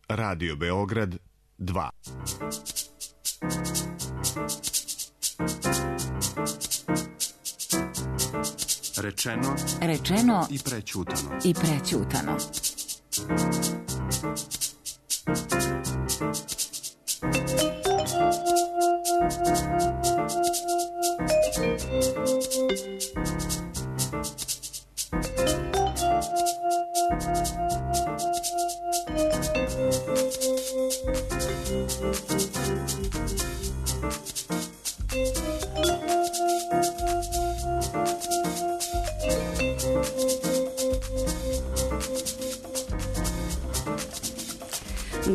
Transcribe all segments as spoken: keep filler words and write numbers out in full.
Radio Beograd dva. Rečeno, Rečeno i prećutano. I prećutano.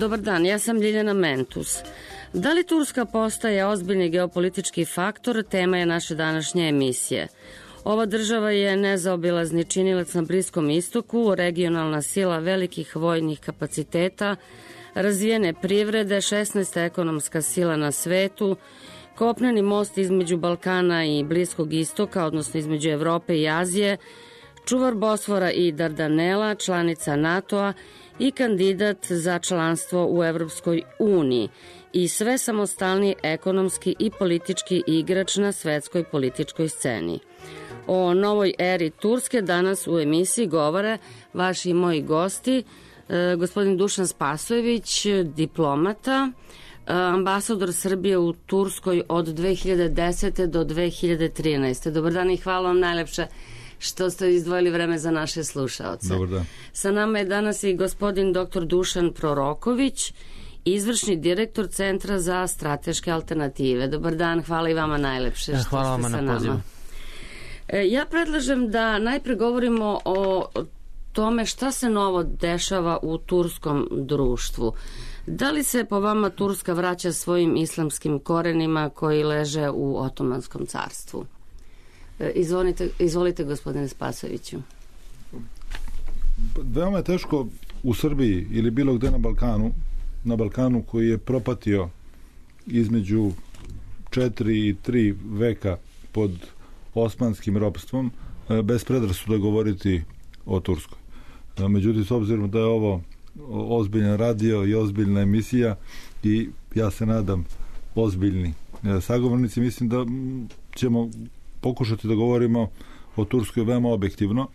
Dobar dan, ja sam Ljiljana Mentus. Da li Turska postaje ozbiljni geopolitički faktor, tema je naše današnje emisije. Ova država je nezaobilazni činilac na Bliskom istoku, regionalna sila velikih vojnih kapaciteta, razvijene privrede, šesnaesta ekonomska sila na svetu, kopneni most između Balkana i Bliskog istoka, odnosno između Evrope i Azije, čuvar Bosfora i Dardanela, članica NATO-a i kandidat za članstvo u Evropskoj uniji i sve samostalni ekonomski i politički igrač na svetskoj političkoj sceni. O novoj eri Turske danas u emisiji govore vaši i moji gosti, e, gospodin Dušan Spasojević, diplomata, ambasador Srbije u Turskoj od dve hiljade desete do dve hiljade trinaeste. Dobar dan i hvala vam najlepše što ste izdvojili vreme za naše slušaoce. Dobar dan. Sa nama je danas i gospodin doktor Dušan Proroković, izvršni direktor Centra za strateške alternative. Dobar dan, hvala i vama najlepše što hvala ste sa na pozivu. nama. Ja predlažem da najpre govorimo o tome šta se novo dešava u turskom društvu. Da li se po vama Turska vraća svojim islamskim korenima koji leže u Otomanskom carstvu? Izvolite, izvolite gospodine Spasoviću. Veoma je teško u Srbiji ili bilo gde na Balkanu, na Balkanu koji je propatio između četiri i tri veka pod osmanskim ropstvom, bez predrasuda govoriti o Turskoj. Međutim, s obzirom da je ovo ozbiljan radio i ozbiljna emisija i ja se nadam ozbiljni sagovornici, mislim da ćemo pokušati da govorimo o Turskoj veoma objektivno,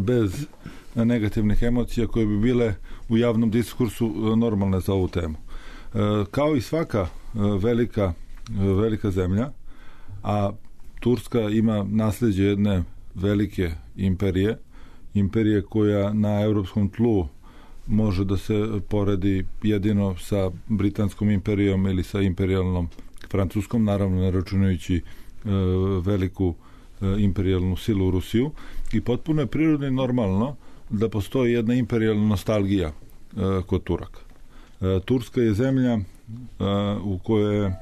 bez negativnih emocija koje bi bile u javnom diskursu normalne za ovu temu. Kao i svaka velika, velika zemlja, a Turska ima nasleđe jedne velike imperije, imperije koja na evropskom tlu može da se poredi jedino sa Britanskom imperijom ili sa imperijalnom Francuskom, naravno ne računajući veliku imperijalnu silu Rusiju, i potpuno je prirodno i normalno da postoji jedna imperijalna nostalgija kod Turaka. Turska je zemlja u kojoj je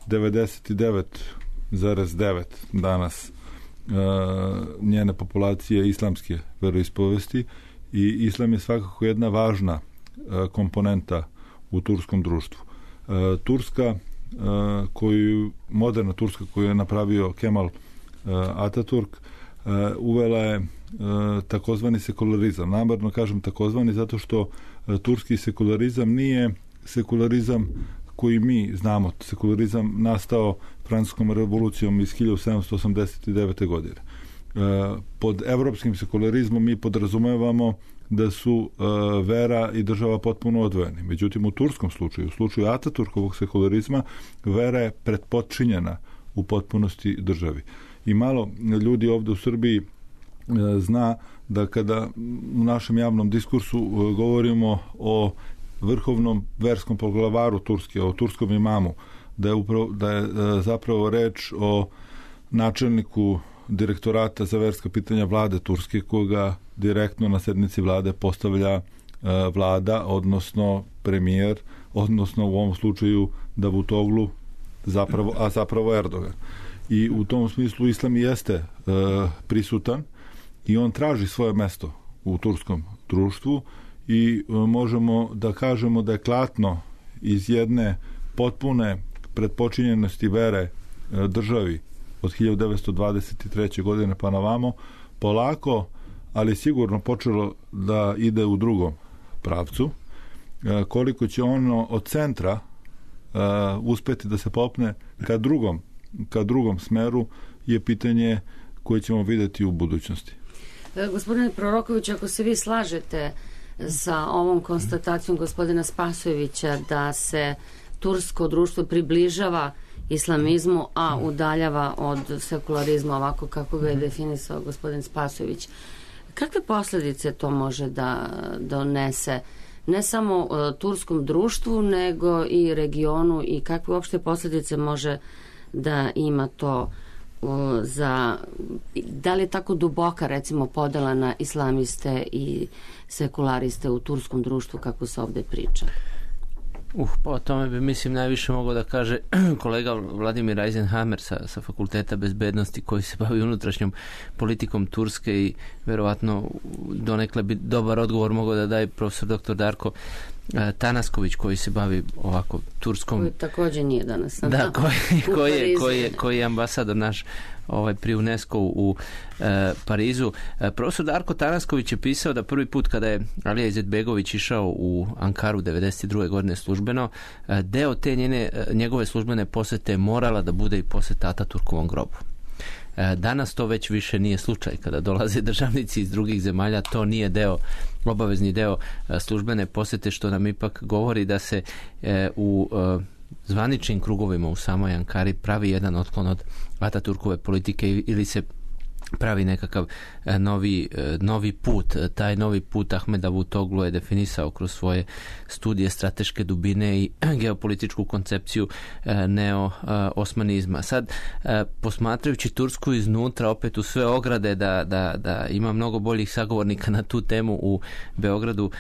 devedeset devet zarez devet danas njene populacije islamske veroispovesti i islam je svakako jedna važna komponenta u turskom društvu. Turska koju, moderna Turska koju je napravio Kemal Ataturk, uvela je takozvani sekularizam. Namerno kažem takozvani zato što turski sekularizam nije sekularizam koji mi znamo. Sekularizam nastao Francuskom revolucijom iz hiljadu sedamsto osamdeset devete. godine. Pod evropskim sekularizmom mi podrazumevamo da su vera i država potpuno odvojeni. Međutim, u turskom slučaju, u slučaju Ataturkovog sekularizma, vera je pretpodčinjena u potpunosti državi. I malo ljudi ovde u Srbiji zna da kada u našem javnom diskursu govorimo o vrhovnom verskom poglavaru Turske, o turskom imamu, da je, upravo, da je zapravo reč o načelniku direktorata za verska pitanja vlade Turske, koga direktno na sednici vlade postavlja vlada, odnosno premijer, odnosno u ovom slučaju Davutoglu, zapravo, a zapravo Erdogan. I u tom smislu islam jeste prisutan i on traži svoje mesto u turskom društvu i možemo da kažemo da je klatno iz jedne potpune pretpočinjenosti vere državi od hiljadu devetsto dvadeset treće. godine pa na vamo, polako, ali sigurno počelo da ide u drugom pravcu. koliko će ono od centra uh, uspeti da se popne ka drugom, ka drugom smeru je pitanje koje ćemo vidjeti u budućnosti. Gospodine Proroković, ako se vi slažete sa ovom konstatacijom gospodina Spasojevića da se tursko društvo približava islamizmu, a udaljava od sekularizma, ovako kako ga je definisao gospodin Spasojević, kakve posljedice to može da donese ne samo uh, turskom društvu, nego i regionu, i kakve uopšte posljedice može da ima to uh, za, da li je tako duboka recimo podela na islamiste i sekulariste u turskom društvu kako se ovdje priča? Uh, pa o tome bi, mislim, najviše mogao da kaže kolega Vladimir Eisenhammer sa, sa Fakulteta bezbednosti, koji se bavi unutrašnjom politikom Turske, i verovatno donekle bi dobar odgovor mogao da daje profesor doktor Darko Tanasković, koji se bavi ovako turskom... Koji također nije danas. Da, koji, koji, je, koji, je, koji je ambasador naš ovaj, pri UNESCO u e, Parizu. E, profesor Darko Tanasković je pisao da prvi put kada je Alija Izetbegović išao u Ankaru devedeset druge godine službeno, e, deo te njene, njegove službene posete morala da bude i poseta Ataturkovom grobu. Danas to već više nije slučaj. Kada dolaze državnici iz drugih zemalja, to nije deo, obavezni deo službene posete, što nam ipak govori da se e, u e, zvaničnim krugovima u samoj Ankari pravi jedan otklon od Ataturkove politike, ili se pravi nekakav novi, novi put. Taj novi put Ahmed Davutoglu je definisao kroz svoje studije strateške dubine i geopolitičku koncepciju neo-osmanizma. Sad, posmatrajući Tursku iznutra, opet u sve ograde da, da, da ima mnogo boljih sagovornika na tu temu u Beogradu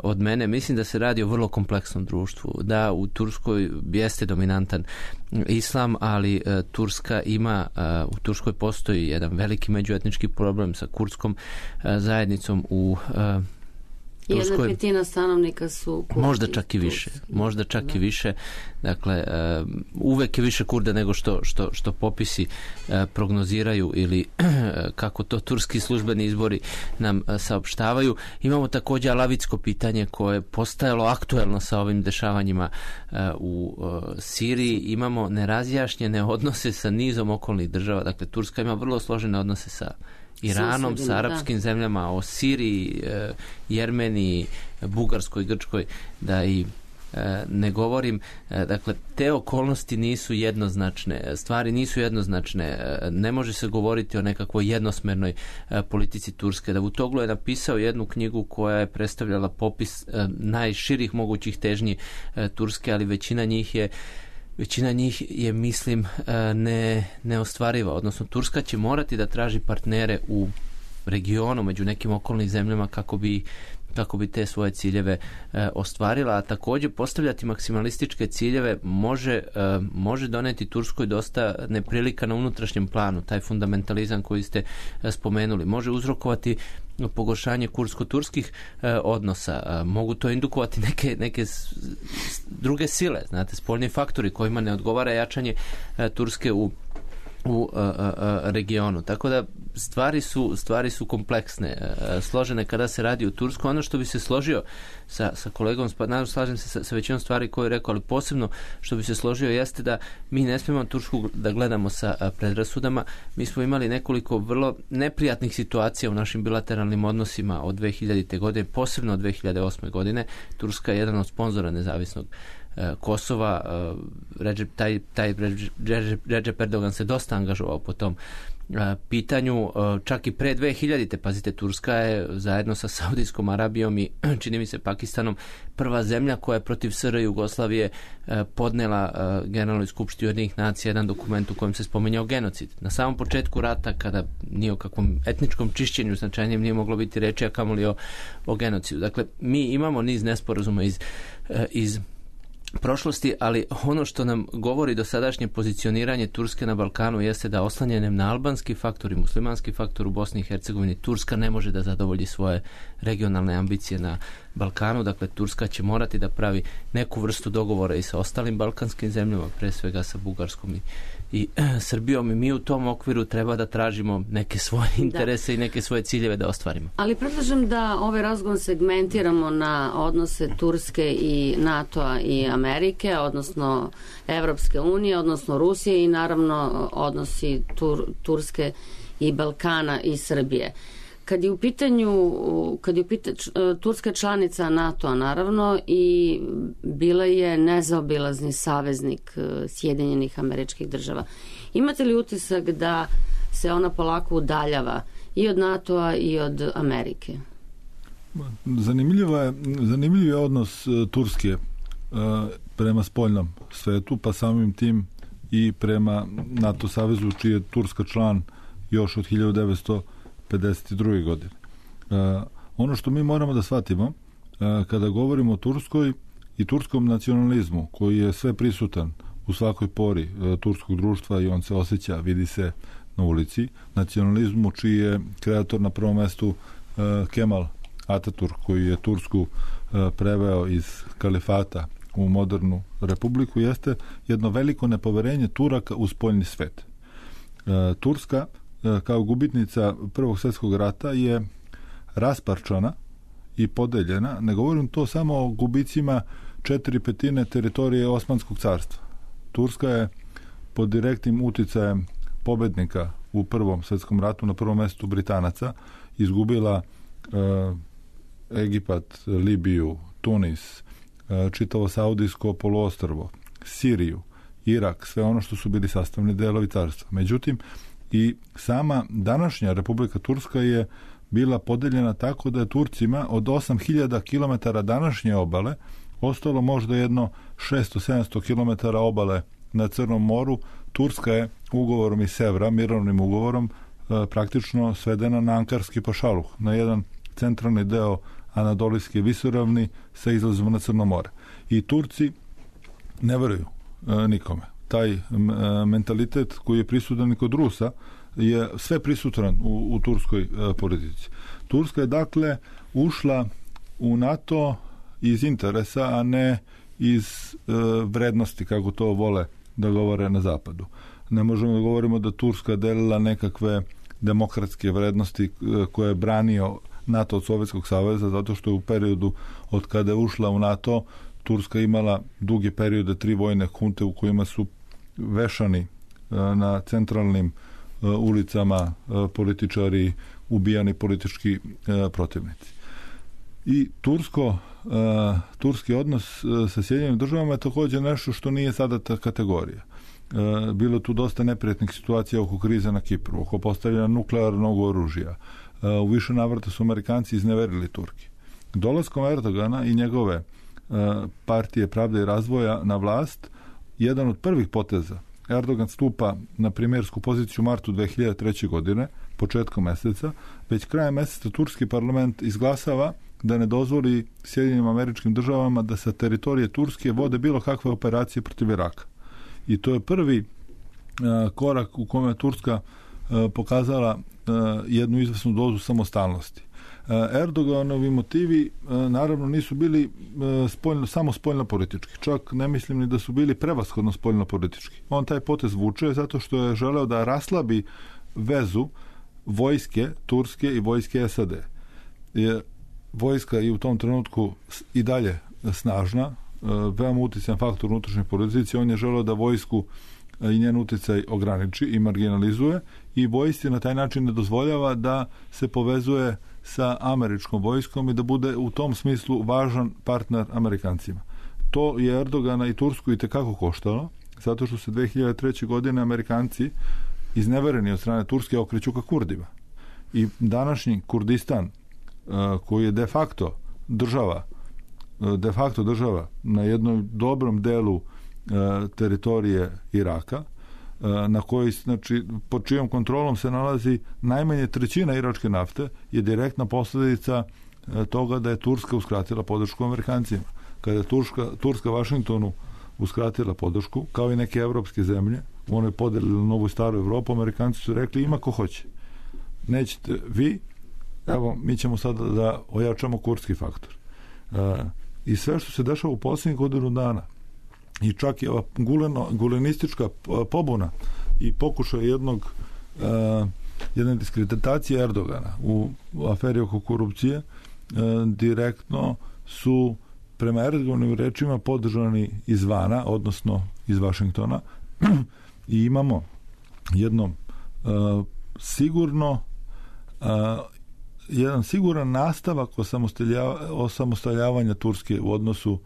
od mene, mislim da se radi o vrlo kompleksnom društvu. Da, u Turskoj jeste dominantan islam, ali Turska ima, u Turskoj postoji jedan veliki međuetnički problem sa kurdskom zajednicom u Turskoj. Jedna petina stanovnika su Kurdi. Možda čak i više. Možda čak da. i više. Dakle, uh, uvek je više Kurda nego što, što, što popisi uh, prognoziraju, ili uh, kako to turski službeni izbori nam uh, saopštavaju. Imamo također alavitsko pitanje koje je postajalo aktuelno sa ovim dešavanjima uh, u uh, Siriji. Imamo nerazjašnjene odnose sa nizom okolnih država. Dakle, Turska ima vrlo složene odnose sa Iranom, sa arapskim da. zemljama, o Siriji, e, Jermeniji, Bugarskoj, Grčkoj, da i e, ne govorim. E, dakle, te okolnosti nisu jednoznačne, stvari nisu jednoznačne, e, ne može se govoriti o nekakvoj jednosmernoj e, politici Turske. Davutoglu je napisao jednu knjigu koja je predstavljala popis e, najširih mogućih težnji e, Turske, ali većina njih je Većina njih je, mislim, ne, neostvariva. Odnosno, Turska će morati da traži partnere u regionu, među nekim okolnim zemljama, kako bi, kako bi te svoje ciljeve e, ostvarila. A također postavljati maksimalističke ciljeve može, e, može doneti Turskoj dosta neprilika na unutrašnjem planu. Taj fundamentalizam koji ste e, spomenuli može uzrokovati pogoršanje kursko-turskih e, odnosa. E, mogu to indukovati neke, neke s, s, druge sile, znate, spoljni faktori kojima ne odgovara jačanje e, Turske u u a, a, a, regionu. Tako da stvari su, stvari su kompleksne, a, složene kada se radi u Tursku. Ono što bi se složio sa, sa kolegom, naravno slažem se sa, sa većinom stvari koje je rekao, ali posebno što bi se složio jeste da mi ne smijemo Tursku da gledamo sa a, predrasudama. Mi smo imali nekoliko vrlo neprijatnih situacija u našim bilateralnim odnosima od dve hiljadite. godine, posebno od dve hiljade osme. godine. Turska je jedan od sponzora nezavisnog Kosova. Recep, taj, taj Recep Erdogan se dosta angažovao po tom pitanju, čak i pre dve hiljadite. Pazite, Turska je zajedno sa Saudijskom Arabijom i čini mi se Pakistanom prva zemlja koja je protiv S R Jugoslavije podnela Generalnoj skupštini Ujedinjenih nacija jedan dokument u kojem se spominjao genocid. Na samom početku rata, kada nije o kakvom etničkom čišćenju značajnijem nije moglo biti reči, a kamoli o, o genocidu. Dakle, mi imamo niz nesporazuma iz, iz prošlosti, ali ono što nam govori dosadašnje pozicioniranje Turske na Balkanu jeste da oslanjanjem na albanski faktor i muslimanski faktor u Bosni i Hercegovini Turska ne može da zadovolji svoje regionalne ambicije na Balkanu. Dakle, Turska će morati da pravi neku vrstu dogovora i sa ostalim balkanskim zemljama, pre svega sa Bugarskom i, i Srbijom, i mi u tom okviru treba da tražimo neke svoje interese da. i neke svoje ciljeve da ostvarimo. Ali predlažem da ovaj razgovor segmentiramo na odnose Turske i NATO-a i Amerike, odnosno Evropske unije, odnosno Rusije i naravno odnosi Tur, Turske i Balkana i Srbije. Kad je u pitanju, kad je u pitanju Turska članica NATO-a naravno i bila je nezaobilazni saveznik Sjedinjenih Američkih Država. Imate li utisak da se ona polako udaljava i od NATO-a i od Amerike? Zanimljivo je, zanimljiv je odnos Turske prema spoljnom svetu, pa samim tim i prema NATO savezu, čiji je Turska član još od hiljadu devetsto pedeset druge godine. Uh, ono što mi moramo da shvatimo uh, kada govorimo o Turskoj i turskom nacionalizmu, koji je sve prisutan u svakoj pori uh, turskog društva i on se osjeća, vidi se na ulici, nacionalizmu čiji je kreator na prvom mestu uh, Kemal Ataturk, koji je Tursku uh, preveo iz kalifata u modernu republiku, jeste jedno veliko nepoverenje Turaka u spoljni svet. Uh, Turska kao gubitnica Prvog svjetskog rata je rasparčana i podeljena. Ne govorim to samo o gubicima četiri petine teritorije Osmanskog carstva. Turska je pod direktnim uticajem pobednika u Prvom svjetskom ratu, na prvom mjestu Britanaca, izgubila e, Egipat, Libiju, Tunis, e, čitavo Saudijsko poluostrvo, Siriju, Irak, sve ono što su bili sastavni delovi carstva. Međutim, i sama današnja Republika Turska je bila podeljena tako da je Turcima od osam hiljada kilometara današnje obale ostalo možda jedno šesto do sedamsto kilometara obale na Crnom moru. Turska je ugovorom iz Sevra, mirovnim ugovorom, e, praktično svedena na Ankarski pašaluh, na jedan centralni deo Anadolijske visoravni sa izlazom na Crno more. I Turci ne veruju e, nikome. Taj e, mentalitet koji je prisutan i kod Rusa je sve prisutan u, u turskoj e, politici. Turska je dakle ušla u NATO iz interesa, a ne iz e, vrednosti, kako to vole da govore na zapadu. Ne možemo da govorimo da Turska delila nekakve demokratske vrednosti e, koje je branio NATO od Sovjetskog saveza, zato što je u periodu od kada je ušla u NATO Turska imala duge periode, tri vojne hunte u kojima su vešani e, na centralnim e, ulicama e, političari, ubijani politički e, protivnici. I tursko, e, turski odnos e, sa Sjedinjenim državama je također nešto što nije sada ta kategorija. E, bilo tu dosta neprijatnih situacija oko krize na Kipru, oko postavljanja nuklearnog oružja. E, u više navrata su Amerikanci izneverili Turki. Dolaskom Erdogana i njegove e, partije Pravde i razvoja na vlast, jedan od prvih poteza, Erdogan stupa na premijersku poziciju u martu dve hiljade treće. godine, početkom meseca, već krajem meseca turski parlament izglasava da ne dozvoli Sjedinjenim Američkim Državama da sa teritorije Turske vode bilo kakve operacije protiv Iraka. I to je prvi uh, korak u kome je Turska uh, pokazala uh, jednu izvesnu dozu samostalnosti. Uh, Erdoganovi motivi uh, naravno nisu bili uh, spoljno, samo spoljno politički. Čak ne mislim ni da su bili prevashodno spoljno politički. On taj potez vuče zato što je želeo da raslabi vezu vojske Turske i vojske S A D. Je vojska je u tom trenutku i dalje snažna, veoma uticajan faktor unutrašnje politici. On je želeo da vojsku i njen uticaj ograniči i marginalizuje i vojsci na taj način ne dozvoljava da se povezuje sa američkom vojskom i da bude u tom smislu važan partner Amerikancima. To je Erdogana i Tursku i tekako koštalo, zato što se dve hiljade treće. godine Amerikanci iznevereni od strane Turske okreću ka Kurdima. I današnji Kurdistan, koji je de facto država de facto država na jednom dobrom delu teritorije Iraka, na koji, znači, pod čijom kontrolom se nalazi najmanje trećina iračke nafte, je direktna posljedica toga da je Turska uskratila podršku Amerikancima. Kada je Turska, Turska Vašingtonu uskratila podršku, kao i neke evropske zemlje, u onoj podeli novu i staru Evropu, Amerikanci su rekli ima ko hoće. Nećete vi, evo, mi ćemo sada da ojačamo kurdski faktor. I sve što se dešava u posljednjih godinu dana, i čak i ova guleno, gulenistička pobuna i pokušaj jednog uh, jedne diskreditacije Erdogana u, u aferi oko korupcije, uh, direktno su prema Erdoganovim rečima podržani izvana, odnosno iz Vašingtona, i imamo jedno uh, sigurno uh, jedan siguran nastavak osamostaljavanja Turske u odnosu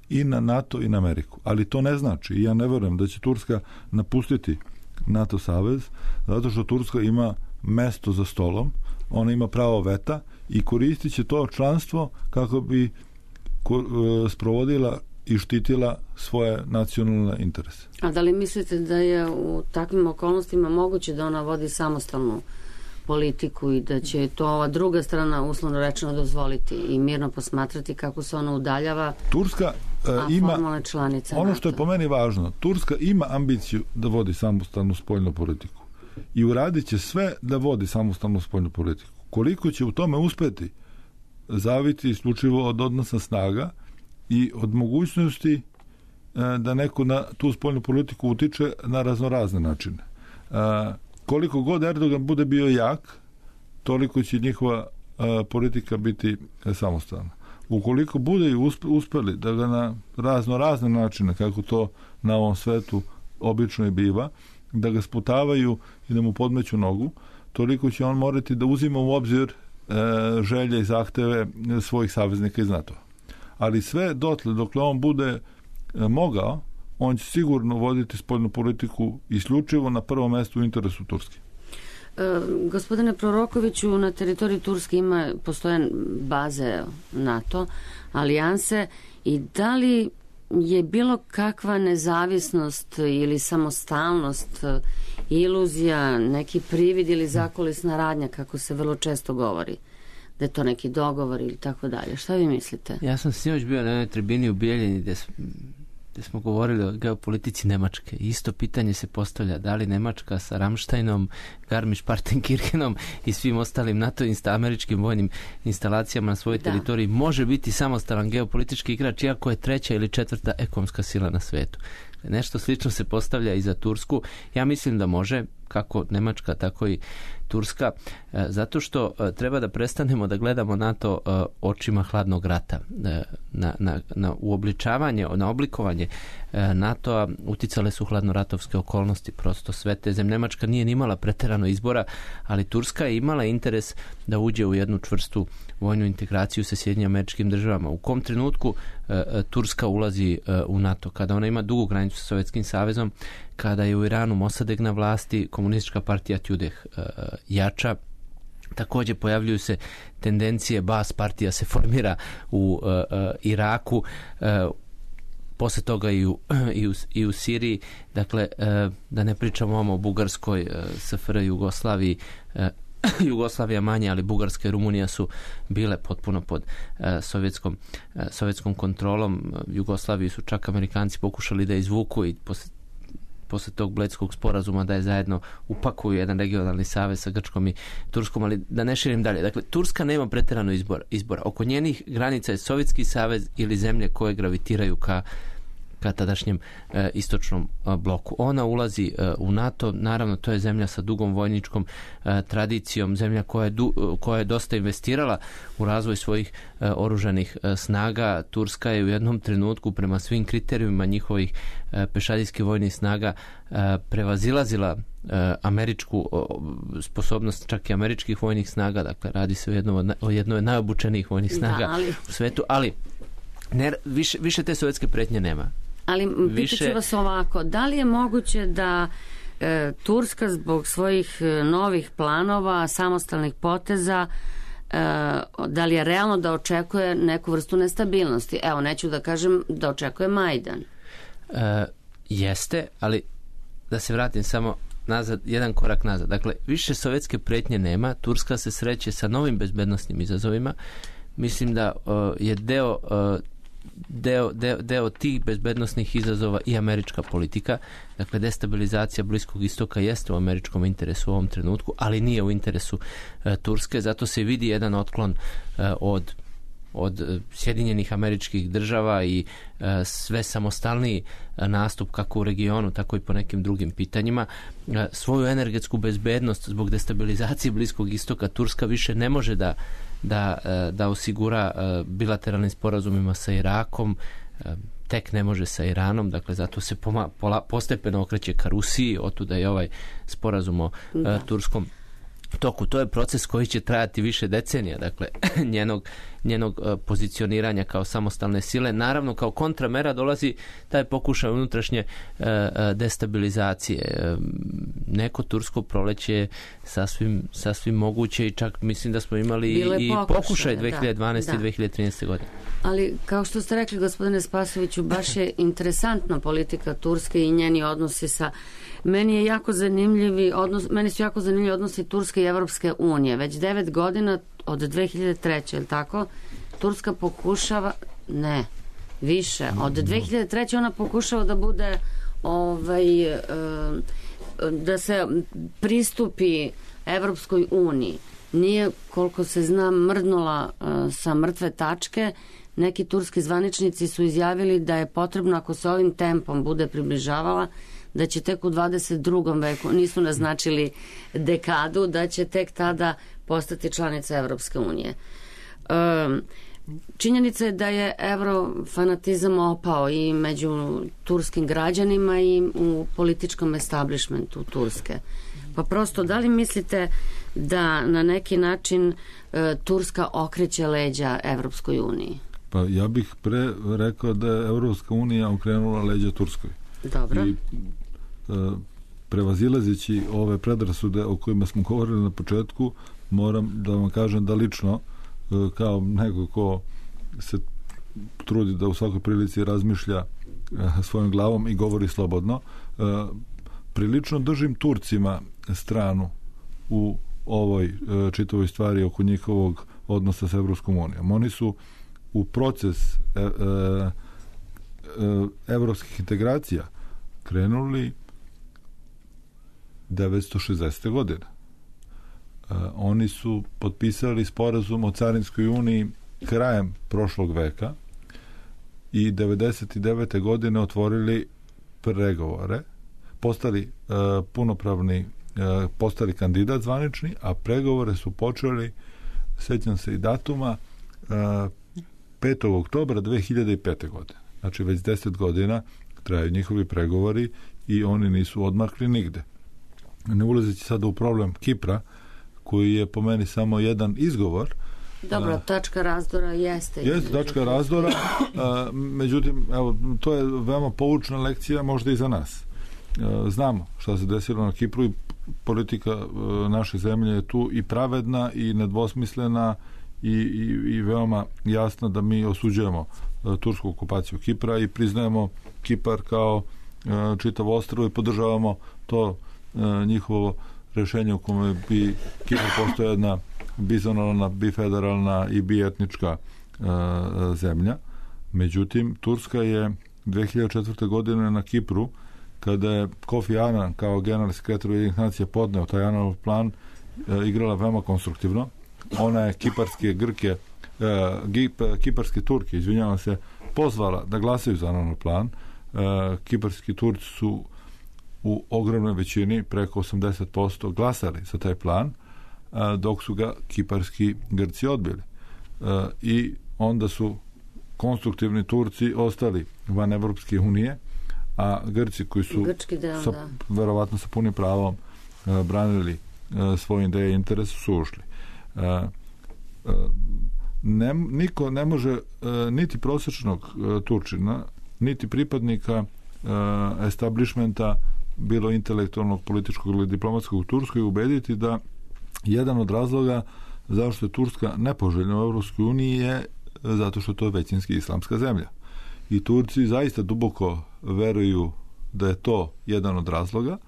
i na NATO i na Ameriku. Ali to ne znači, ja ne verujem da će Turska napustiti NATO savez, zato što Turska ima mesto za stolom, ona ima pravo veta i koristit će to članstvo kako bi sprovodila i štitila svoje nacionalne interese. A da li mislite da je u takvim okolnostima moguće da ona vodi samostalnu politiku i da će to ova druga strana uslovno rečeno dozvoliti i mirno posmatrati kako se ona udaljava, Turska a ima formalna članica ono NATO? što je po meni važno, Turska ima ambiciju da vodi samostalnu spoljnu politiku i uradit će sve da vodi samostalnu spoljnu politiku. Koliko će u tome uspeti zaviti isključivo od odnosa snaga i od mogućnosti da neko na tu spoljnu politiku utiče na raznorazne načine. Koliko god Erdogan bude bio jak, toliko će njihova politika biti samostalna. Ukoliko bude i uspeli da ga na razno razne načine, kako to na ovom svetu obično i biva, da ga sputavaju i da mu podmeću nogu, toliko će on morati da uzima u obzir e, želje i zahteve svojih saveznika iz NATO. Ali sve dotle, dokle on bude e, mogao, on će sigurno voditi spoljnu politiku isključivo na prvom mjestu u interesu Turske. E, gospodine Prorokoviću, na teritoriji Turske ima, postoje baze NATO, alijanse, i da li je bilo kakva nezavisnost ili samostalnost, iluzija, neki privid ili zakulisna radnja, kako se vrlo često govori, da je to neki dogovor ili tako dalje? Šta vi mislite? Ja sam sinoć bio na jednoj tribini u Bijeljini gdje gdje smo govorili o geopolitici Nemačke. Isto pitanje se postavlja, da li Nemačka sa Ramsteinom, Garmisch-Partenkirchenom i svim ostalim NATO i američkim vojnim instalacijama na svojoj da. teritoriji može biti samostalan geopolitički igrač, iako je treća ili četvrta ekonomska sila na svetu. Nešto slično se postavlja i za Tursku. Ja mislim da može, kako Nemačka, tako i Turska, zato što treba da prestanemo da gledamo NATO očima hladnog rata. Na, na, na uobličavanje, na oblikovanje NATO-a uticale su hladnoratovske okolnosti, prosto sve te zemlje. Nemačka nije imala preterano izbora, ali Turska je imala interes da uđe u jednu čvrstu vojnu integraciju sa Sjedinjenim Američkim Državama. U kom trenutku Turska ulazi u NATO? Kada ona ima dugu granicu sa Sovjetskim savezom, kada je u Iranu Mosadeg na vlasti, komunistička partija Tudeh jača, također pojavljuju se tendencije, Bas partija se formira u uh, uh, Iraku, uh, posle toga i u, i u, i u Siriji, dakle uh, da ne pričamo o Bugarskoj, uh, S F R Jugoslaviji, uh, Jugoslavija manje, ali Bugarska i Rumunija su bile potpuno pod uh, sovjetskom, uh, sovjetskom kontrolom. Jugoslaviju su čak Amerikanci pokušali da izvuku i posle posle tog Bledskog sporazuma da je zajedno upakuju jedan regionalni savez sa Grčkom i Turskom, ali da ne širim dalje. Dakle, Turska nema preterano izbor, izbora. Oko njenih granica je Sovjetski savez ili zemlje koje gravitiraju ka, ka tadašnjem e, istočnom e, bloku. Ona ulazi e, u NATO, naravno to je zemlja sa dugom vojničkom e, tradicijom, zemlja koja je, du, koja je dosta investirala u razvoj svojih e, oružanih e, snaga. Turska je u jednom trenutku prema svim kriterijima njihovih e, pešadijskih vojnih snaga e, prevazilazila e, američku o, sposobnost čak i američkih vojnih snaga, dakle radi se o jednoj od, o jednoj od najobučenijih vojnih snaga da, ali... u svetu, ali ne, više, više te sovjetske pretnje nema. Ali više... pitaću vas ovako, da li je moguće da e, Turska zbog svojih e, novih planova, samostalnih poteza, e, da li je realno da očekuje neku vrstu nestabilnosti? Evo, neću da kažem da očekuje Majdan. E, jeste, ali da se vratim samo nazad, jedan korak nazad. Dakle, više sovjetske pretnje nema, Turska se sreće sa novim bezbednosnim izazovima. Mislim da uh, je deo uh, Deo, deo, deo tih bezbednosnih izazova i američka politika. Dakle, destabilizacija Bliskog istoka jeste u američkom interesu u ovom trenutku, ali nije u interesu e, Turske, zato se vidi jedan otklon e, od od Sjedinjenih Američkih Država i e, sve samostalniji nastup kako u regionu, tako i po nekim drugim pitanjima. E, svoju energetsku bezbednost zbog destabilizacije Bliskog istoka Turska više ne može da, da, da osigura bilateralnim sporazumima sa Irakom, tek ne može sa Iranom, dakle zato se poma, pola, postepeno okreće ka Rusiji, otuda je ovaj sporazum o da. turskom toku. To je proces koji će trajati više decenija, dakle njenog, njenog pozicioniranja kao samostalne sile. Naravno, kao kontramera dolazi taj pokušaj unutrašnje destabilizacije. Neko tursko proleće je sasvim, sasvim moguće i čak mislim da smo imali Bile i pokušaj, pokušaj dve hiljade dvanaeste da, da. i dve hiljade trinaeste godine. Ali, kao što ste rekli, gospodine Spasoviću, baš je interesantna politika Turske i njeni odnosi sa... Meni je jako zanimljivi odnos, meni su jako zanimljivi odnosi Turske i Evropske unije. Već devet godina od dve hiljade treće, je li tako? Turska pokušava, ne, više. Od dve hiljade treće ona pokušava da bude ovaj, da se pristupi Evropskoj uniji. Nije, koliko se zna, mrdnula sa mrtve tačke. Neki turski zvaničnici su izjavili da je potrebno, ako se ovim tempom bude približavala, da će tek u dvadeset drugom veku, nisu naznačili dekadu, da će tek tada postati članica Evropske unije. Um, činjenica je da je evrofanatizam opao i među turskim građanima i u političkom establishmentu Turske. Pa prosto, da li mislite da na neki način uh, Turska okreće leđa Evropskoj uniji? Pa ja bih pre rekao da je Evropska unija okrenula leđa Turskoj. Dobro. I prevazilazeći ove predrasude o kojima smo govorili na početku, moram da vam kažem da lično, kao neko ko se trudi da u svakoj prilici razmišlja svojom glavom i govori slobodno, prilično držim Turcima stranu u ovoj čitavoj stvari oko njihovog odnosa sa Evropskom unijom. Oni su u proces evropskih integracija krenuli devetsto šezdesete godine. Uh, oni su potpisali sporazum o carinskoj uniji krajem prošlog veka i devedeset devete godine otvorili pregovore, postali uh, punopravni, uh, postali kandidat zvanični, a pregovore su počeli, sećam se i datuma, uh, petog oktobra dve hiljade pete godine. Znači već deset godina traju njihovi pregovori i oni nisu odmakli nigde. Ne ulazeći sada u problem Kipra, koji je po meni samo jedan izgovor. Dobro, tačka razdora jeste. Jeste tačka razdora, a, međutim, evo, to je veoma poučna lekcija možda i za nas. A, znamo šta se desilo na Kipru i politika a, naše zemlje je tu i pravedna i nedvosmislena i, i, i veoma jasna da mi osuđujemo a, tursku okupaciju Kipra i priznajemo Kipar kao a, čitavo ostrvo i podržavamo to a, njihovo rešenje u kome bi Kipar postoje jedna bizonalna, bifederalna i bietnička uh, zemlja. Međutim, Turska je dve hiljade četvrte. godine na Kipru, kada je Kofi Annan kao generalni sekretar Ujedinjenih nacija podneo taj Annanov plan, uh, igrala veoma konstruktivno. Ona je kiparske Grke, uh, gip, kiparske Turke, izvinjavam se, pozvala da glasaju za Annanov plan. Uh, kiparski Turci su u ogromnoj većini, preko osamdeset posto, glasali za taj plan, dok su ga kiparski Grci odbili. I onda su konstruktivni Turci ostali van Evropske unije, a Grci koji su deo, sa, da. verovatno sa punim pravom branili svoje ideje i interese, su ušli. Ne, niko ne može niti prosječnog Turčina, niti pripadnika establishmenta, bilo intelektualnog, političkog ili diplomatskog u Turskoj, ubediti da jedan od razloga zašto je Turska nepoželjna u Evropskoj uniji je zato što to je većinski islamska zemlja. I Turci zaista duboko veruju da je to jedan od razloga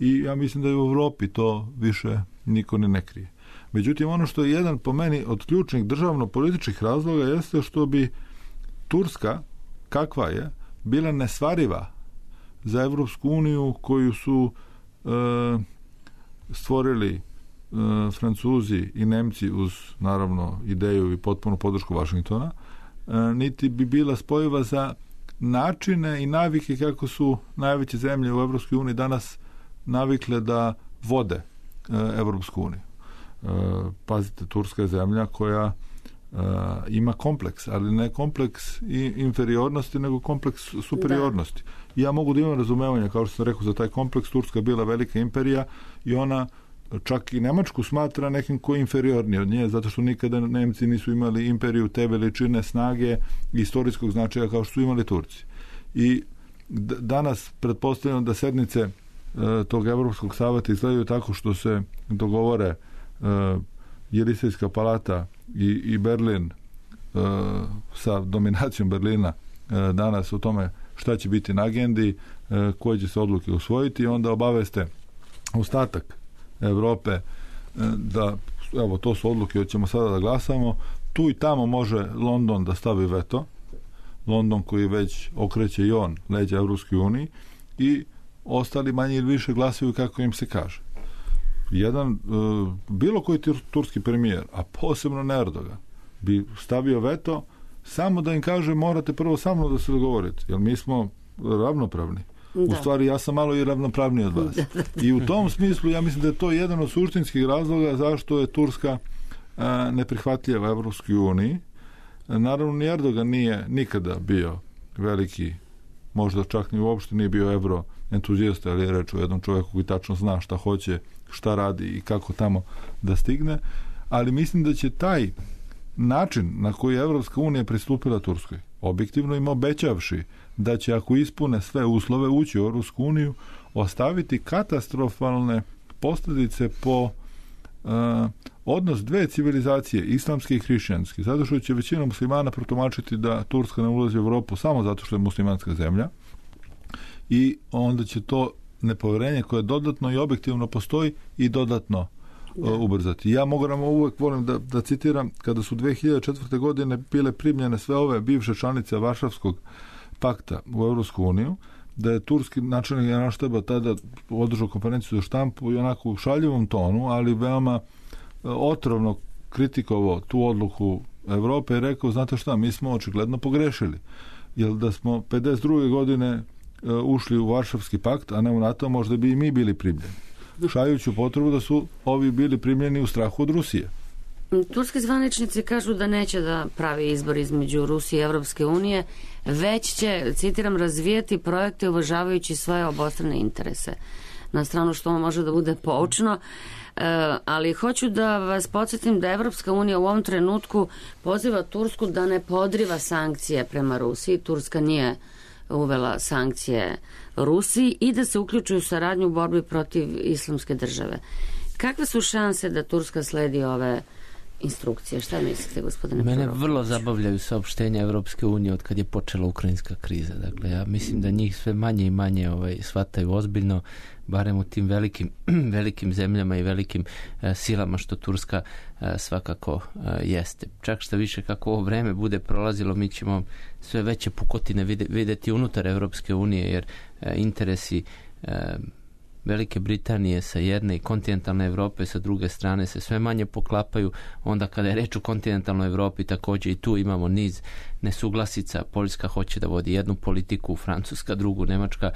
i ja mislim da je u Evropi to više niko ne, ne krije. Međutim, ono što je jedan po meni od ključnih državno-političkih razloga jeste što bi Turska, kakva je, bila nesvariva za Evropsku uniju koju su e, stvorili Francuzi i Nemci uz naravno ideju i potpunu podršku Vašingtona, niti bi bila spojiva za načine i navike kako su najveće zemlje u Evropskoj uniji danas navikle da vode Evropsku uniju. Pazite, Turska je zemlja koja ima kompleks, ali ne kompleks inferiornosti, nego kompleks superiornosti. Da. Ja mogu da imam razumevanja, kao što sam rekao, za taj kompleks. Turska je bila velika imperija i ona čak i Nemačku smatra nekim ko je inferiorniji od nje, zato što nikada Nemci nisu imali imperiju te veličine, snage i istorijskog značaja kao što su imali Turci. I d- danas pretpostavljam da sednice e, tog Evropskog saveta izgledaju tako što se dogovore e, Jelisejska palata i, i Berlin e, sa dominacijom Berlina e, danas o tome šta će biti na agendi, e, koje će se odluke usvojiti i onda obaveste ostatak Evrope da, evo, to su odluke, hoćemo sada da glasamo. Tu i tamo može London da stavi veto. London koji već okreće i on leđa Evropskoj uniji i ostali manje ili više glasaju kako im se kaže. Jedan, bilo koji turski premijer, a posebno Erdogan, bi stavio veto samo da im kaže morate prvo sa mnom da se dogovorite, jer mi smo ravnopravni. Da. U stvari, ja sam malo i ravnopravniji od vas. I u tom smislu, ja mislim da je to jedan od suštinskih razloga zašto je Turska a, neprihvatljiva Evropskoj uniji. Naravno, ni Erdogan nije nikada bio veliki, možda čak ni uopšte nije bio evro entuzijasta, ali je reč o jednom čovjeku koji tačno zna šta hoće, šta radi i kako tamo da stigne. Ali mislim da će taj način na koji je Evropska unija pristupila Turskoj, objektivno im obećavši da će, ako ispune sve uslove, ući u Evropsku uniju, ostaviti katastrofalne posljedice po uh, odnos dve civilizacije, islamske i hrišćanske, zato što će većina muslimana protumačiti da Turska ne ulazi u Evropu samo zato što je muslimanska zemlja i onda će to nepovjerenje koje dodatno i objektivno postoji i dodatno uh, ubrzati. Ja mogu nam uvijek volim da, da citiram, kada su dve hiljade četvrte. godine bile primljene sve ove bivše članice Varšavskog pakta u Evropsku uniju, da je turski načelnik generalštaba tada održao konferenciju za štampu i onako u šaljivom tonu, ali veoma otrovno kritikovao tu odluku Evrope i rekao, znate šta, mi smo očigledno pogrešili. Jer da smo pedeset druge. godine ušli u Varšavski pakt, a ne u NATO, možda bi i mi bili primljeni. Šajući potrebu da su ovi bili primljeni u strahu od Rusije. Turski zvaničnici kažu da neće da pravi izbor između Rusije i Evropske unije, već će, citiram, razvijati projekte uvažavajući svoje obostrane interese. Na stranu što može da bude poučno, ali hoću da vas podsjetim da Evropska unija u ovom trenutku poziva Tursku da ne podriva sankcije prema Rusiji. Turska nije uvela sankcije Rusiji i da se uključuju u saradnju u borbi protiv islamske države. Kakve su šanse da Turska sledi ove instrukcije? Šta mislite, gospodine Mene Proroković? vrlo zabavljaju saopštenja Evropske unije od kad je počela ukrajinska kriza. Dakle, ja mislim da njih sve manje i manje ovaj, shvataju ozbiljno, barem u tim velikim, velikim zemljama i velikim e, silama što Turska e, svakako e, jeste. Čak što više kako ovo vreme bude prolazilo, mi ćemo sve veće pukotine vide, videti unutar Evropske unije, jer e, interesi e, Velike Britanije sa jedne i kontinentalne Evrope sa druge strane se sve manje poklapaju. Onda kada je reč o kontinentalnoj Evropi, također i tu imamo niz nesuglasica. Poljska hoće da vodi jednu politiku, Francuska drugu, Nemačka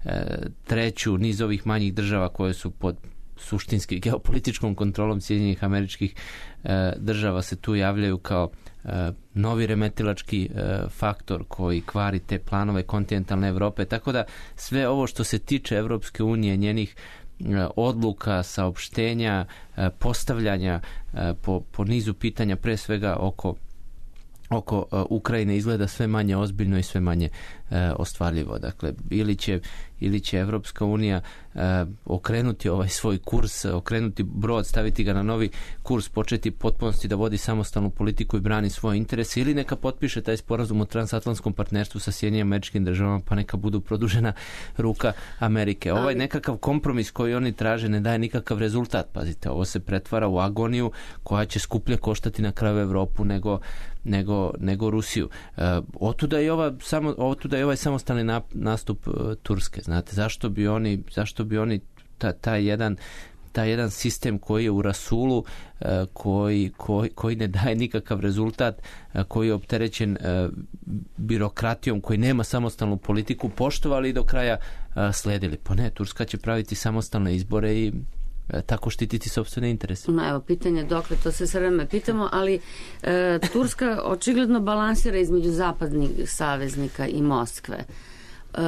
e, treću, niz ovih manjih država koje su pod suštinski geopolitičkom kontrolom Sjedinjenih Američkih e, država se tu javljaju kao e, novi remetilački e, faktor koji kvari te planove kontinentalne Evrope. Tako da sve ovo što se tiče Evropske unije, njenih e, odluka, saopštenja, e, postavljanja e, po, po nizu pitanja, pre svega oko oko uh, Ukrajine, izgleda sve manje ozbiljno i sve manje uh, ostvarljivo. Dakle, ili će, ili će Evropska unija uh, okrenuti ovaj svoj kurs, okrenuti brod, staviti ga na novi kurs, početi potpunosti da vodi samostalnu politiku i brani svoje interese, ili neka potpiše taj sporazum o transatlantskom partnerstvu sa Sjedinjenim Američkim Državama, pa neka budu produžena ruka Amerike. Ovaj nekakav kompromis koji oni traže ne daje nikakav rezultat. Pazite, ovo se pretvara u agoniju koja će skuplje koštati na kraju Evropu nego nego, nego Rusiju. E, otuda je ova samo otuda je ovaj samostalni na, nastup uh, Turske. Znate, zašto bi oni zašto bi oni ta, taj jedan taj jedan sistem koji je u rasulu, koji, koji, koji ne daje nikakav rezultat, koji je opterećen birokratijom, koji nema samostalnu politiku, poštovali i do kraja sledili. Pa ne, Turska će praviti samostalne izbore i tako štititi sopstvene interese. No, evo, pitanje dokle, to se sve vreme pitamo, ali e, Turska očigledno balansira između zapadnih saveznika i Moskve. E,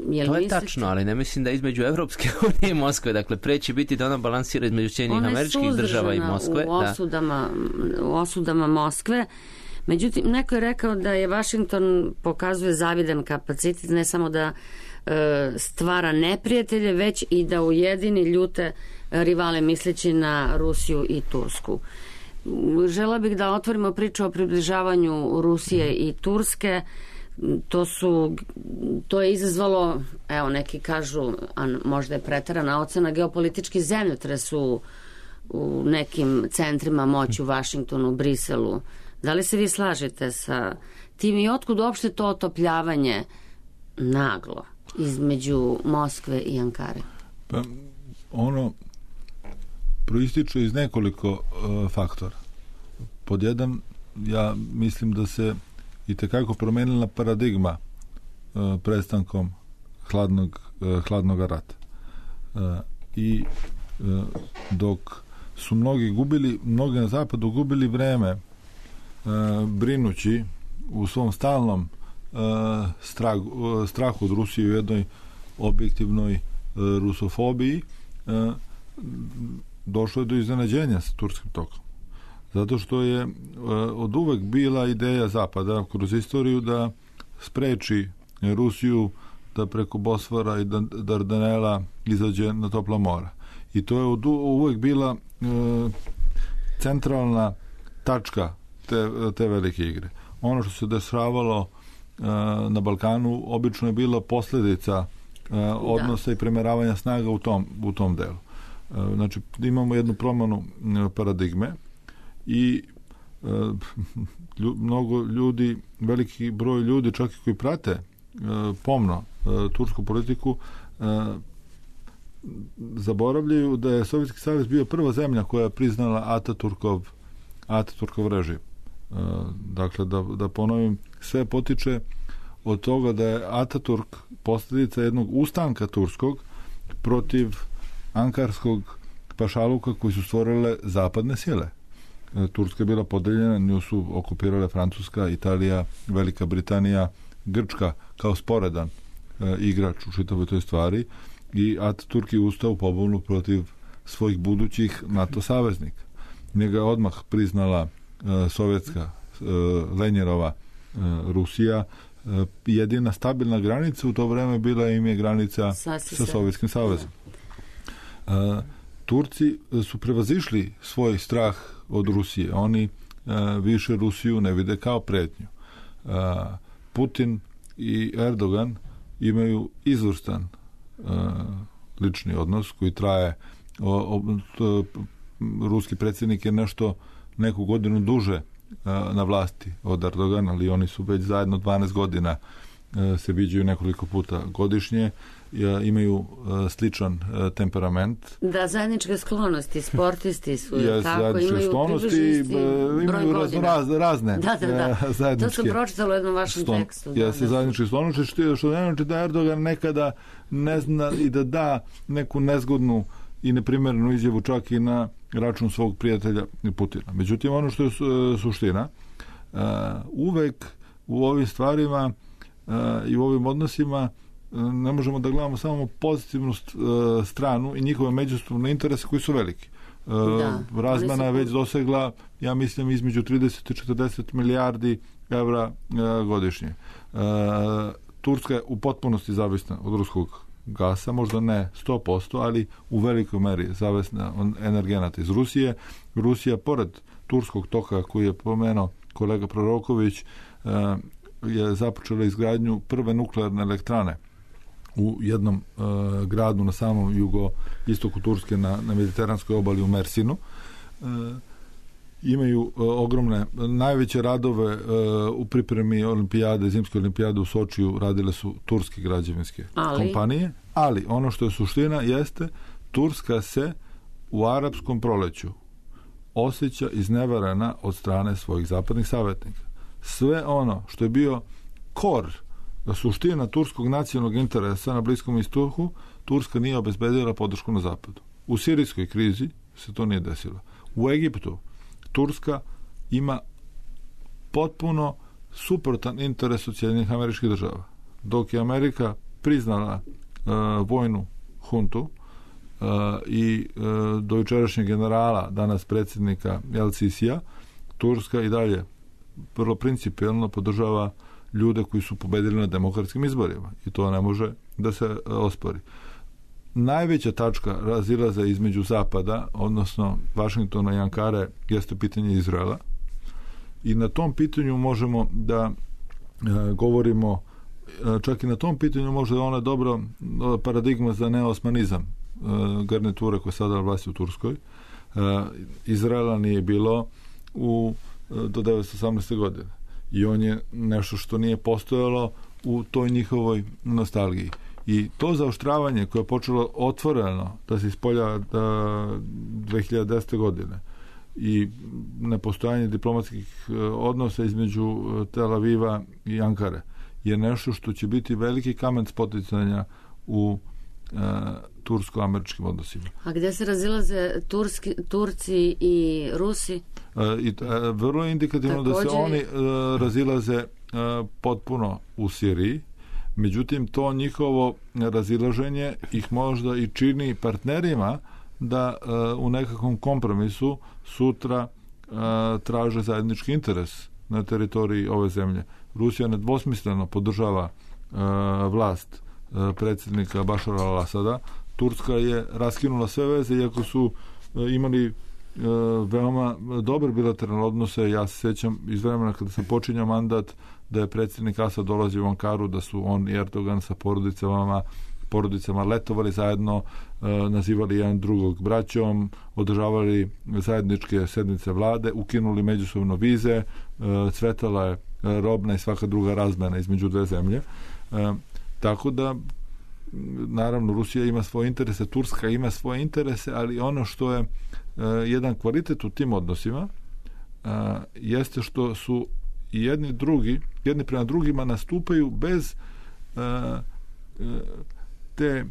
jel to je mislite... tačno, ali ne mislim da između Evropske unije i Moskve. Dakle, pre će biti da ona balansira između Sjedinjenih Američkih Država i Moskve. U osudama, da. u osudama Moskve. Međutim, neko je rekao da je Vašington pokazuje zavidan kapacitet, ne samo da e, stvara neprijatelje, već i da ujedini ljute rivale, misleći na Rusiju i Tursku. Žela bih da otvorimo priču o približavanju Rusije i Turske. To su, to je izazvalo, evo neki kažu, a možda je preterana ocena, geopolitički zemljotres u, u nekim centrima moći u Vašingtonu, Briselu. Da li se vi slažete sa tim i otkud uopšte to otopljavanje naglo između Moskve i Ankare? Pa ono proističe iz nekoliko uh, faktora. Pod jedan, ja mislim da se i tekako promenila paradigma uh, prestankom hladnog, uh, hladnog rata. Uh, I uh, dok su mnogi gubili, mnogi na zapadu gubili vreme uh, brinući u svom stalnom uh, strahu, uh, strahu od Rusije u jednoj objektivnoj uh, rusofobiji, uh, došlo je do iznenađenja sa turskim tokom. Zato što je uh, od uvek bila ideja Zapada kroz istoriju da spreči Rusiju da preko Bosfora i Dardanela izađe na topla mora. I to je od uvek bila uh, centralna tačka te, te velike igre. Ono što se dešavalo uh, na Balkanu obično je bila posljedica uh, odnosa da. i premeravanja snaga u tom, u tom delu. Uh, znači, imamo jednu promjenu uh, paradigme i uh, lju, mnogo ljudi, veliki broj ljudi, čak i koji prate uh, pomno uh, tursku politiku, uh, zaboravljaju da je Sovjetski savez bio prva zemlja koja je priznala Ataturkov, Ataturkov režim. Uh, dakle, da, da ponovim, sve potiče od toga da je Ataturk posljedica jednog ustanka turskog protiv ankarskog pašaluka koji su stvorile zapadne sile. Uh, Turska je bila podeljena, nju su okupirale Francuska, Italija, Velika Britanija, Grčka kao sporedan uh, igrač u čitavoj toj stvari, i Ataturk je ustao u pobunu protiv svojih budućih NATO saveznika. Njega je odmah priznala uh, sovjetska uh, Lenjerova uh, Rusija. Uh, jedina stabilna granica u to vreme bila im je granica Sasi sa Sovjetskim savezom. Uh, Turci su prevazišli svoj strah od Rusije. Oni uh, više Rusiju ne vide kao pretnju. Uh, Putin i Erdogan imaju izvrstan Uh, lični odnos koji traje o, o, to, ruski predsjednik je nešto neku godinu duže uh, na vlasti od Erdogana, ali oni su već zajedno dvanaest godina uh, se viđaju nekoliko puta godišnje, uh, imaju uh, sličan uh, temperament. Da, zajedničke sklonosti, sportisti su ja, tako, imaju sklonosti, uh, imaju razno, raz, razne da, da, da. Uh, zajedničke. To sam pročitala u jednom vašem Ston, tekstu. Ja se zajedničke sklonosti, što, što ne znači da Erdogan nekada ne zna i da da neku nezgodnu i neprimjerenu izjavu čak i na račun svog prijatelja Putina. Međutim, ono što je suština, uh, uvek u ovim stvarima uh, i u ovim odnosima uh, ne možemo da gledamo samo pozitivnu uh, stranu i njihove međusobne interese koji su veliki. Uh, da, razmena je već dosegla, ja mislim, između trideset i četrdeset milijardi evra uh, godišnje. Uh, Turska je u potpunosti zavisna od ruskog gasa, možda ne sto posto, ali u velikoj meri zavisna od energenata iz Rusije. Rusija, pored turskog toka koji je pomenuo kolega Proroković, je započela izgradnju prve nuklearne elektrane u jednom gradu na samom jugoistoku Turske, na, na mediteranskoj obali u Mersinu. Imaju uh, ogromne, najveće radove uh, u pripremi olimpijade, zimske olimpijade u Sočiju radile su turske građevinske ali... kompanije, ali ono što je suština jeste Turska se u arapskom proleću osjeća izneverena od strane svojih zapadnih savjetnika. Sve ono što je bio kor, suština turskog nacionalnog interesa na Bliskom istoku, Turska nije obezbedila podršku na zapadu. U sirijskoj krizi se to nije desilo. U Egiptu Turska ima potpuno suprotan interes od Sjedinjenih Američkih Država. Dok je Amerika priznala uh, vojnu huntu uh, i uh, do jučerašnjeg generala, danas predsjednika El Sisija, Turska i dalje vrlo principijelno podržava ljude koji su pobedili na demokratskim izborima i to ne može da se uh, ospori. Najveća tačka razilaza između Zapada, odnosno Vašingtona i Ankare, jeste pitanje Izraela i na tom pitanju možemo da e, govorimo, e, čak i na tom pitanju možda je ona dobro paradigma za neosmanizam e, garniture koja sada vlasti u Turskoj. E, Izraela nije bilo u, do devetsto osamnaeste. godine i on je nešto što nije postojalo u toj njihovoj nostalgiji. I to zaoštravanje koje je počelo otvoreno da se ispolja da dve hiljade desete. godine i nepostojanje diplomatskih odnosa između Tel Aviva i Ankare je nešto što će biti veliki kamen spoticanja u e, tursko-američkim odnosima. A gdje se razilaze Turski, Turci i Rusi? E, i, e, vrlo je indikativno Također... da se oni e, razilaze e, potpuno u Siriji. Međutim, to njihovo razilaženje ih možda i čini partnerima da uh, u nekakvom kompromisu sutra uh, traže zajednički interes na teritoriji ove zemlje. Rusija nedvosmisleno podržava uh, vlast uh, predsjednika Bašara al-Asada. Turska je raskinula sve veze, iako su uh, imali uh, veoma dobre bilateralne odnose. Ja se sjećam iz vremena kada se počinja mandat da je predsjednik Asad dolazio u Ankaru, da su on i Erdogan sa porodicama porodicama letovali zajedno, e, nazivali jedan drugog braćom, održavali zajedničke sednice vlade, ukinuli međusobno vize, e, cvetala je robna i svaka druga razmena između dve zemlje. E, tako da naravno Rusija ima svoje interese, Turska ima svoje interese, ali ono što je e, jedan kvalitet u tim odnosima e, jeste što su i jedni drugi, jedni prema drugima nastupaju bez uh, uh, te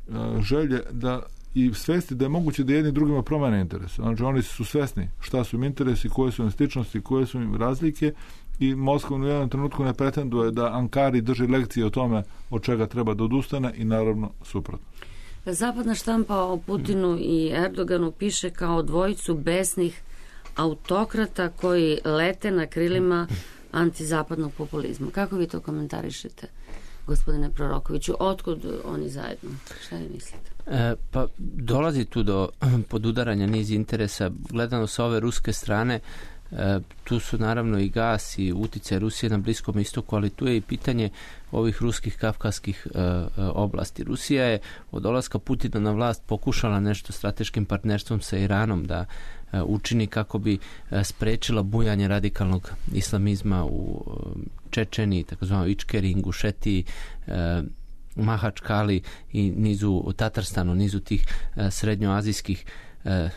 uh, želje da i svesti da je moguće da jedni drugima promene interes. Znači oni su svesni šta su im interesi, koje su im sličnosti, koje su im razlike i Moskva u jednom trenutku ne pretenduje da Ankari drži lekcije o tome od čega treba da odustane i naravno suprotno. Zapadna štampa o Putinu i Erdoganu piše kao dvojicu besnih autokrata koji lete na krilima antizapadnog populizma. Kako vi to komentarišete, gospodine Prorokoviću? Otkud oni zajedno? Šta vi mislite? E, pa dolazi tu do podudaranja niz interesa. Gledano sa ove ruske strane, e, tu su naravno i gas i uticaj Rusije na Bliskom istoku, ali tu je i pitanje ovih ruskih kavkaskih e, oblasti. Rusija je od dolaska Putina na vlast pokušala nešto strateškim partnerstvom sa Iranom da e, učini kako bi e, sprečila bujanje radikalnog islamizma u e, Čečeniji, takozvano Ičkeri, Ingušetiji, e, Mahačkali i nizu u Tatarstanu, nizu tih e, srednjoazijskih e,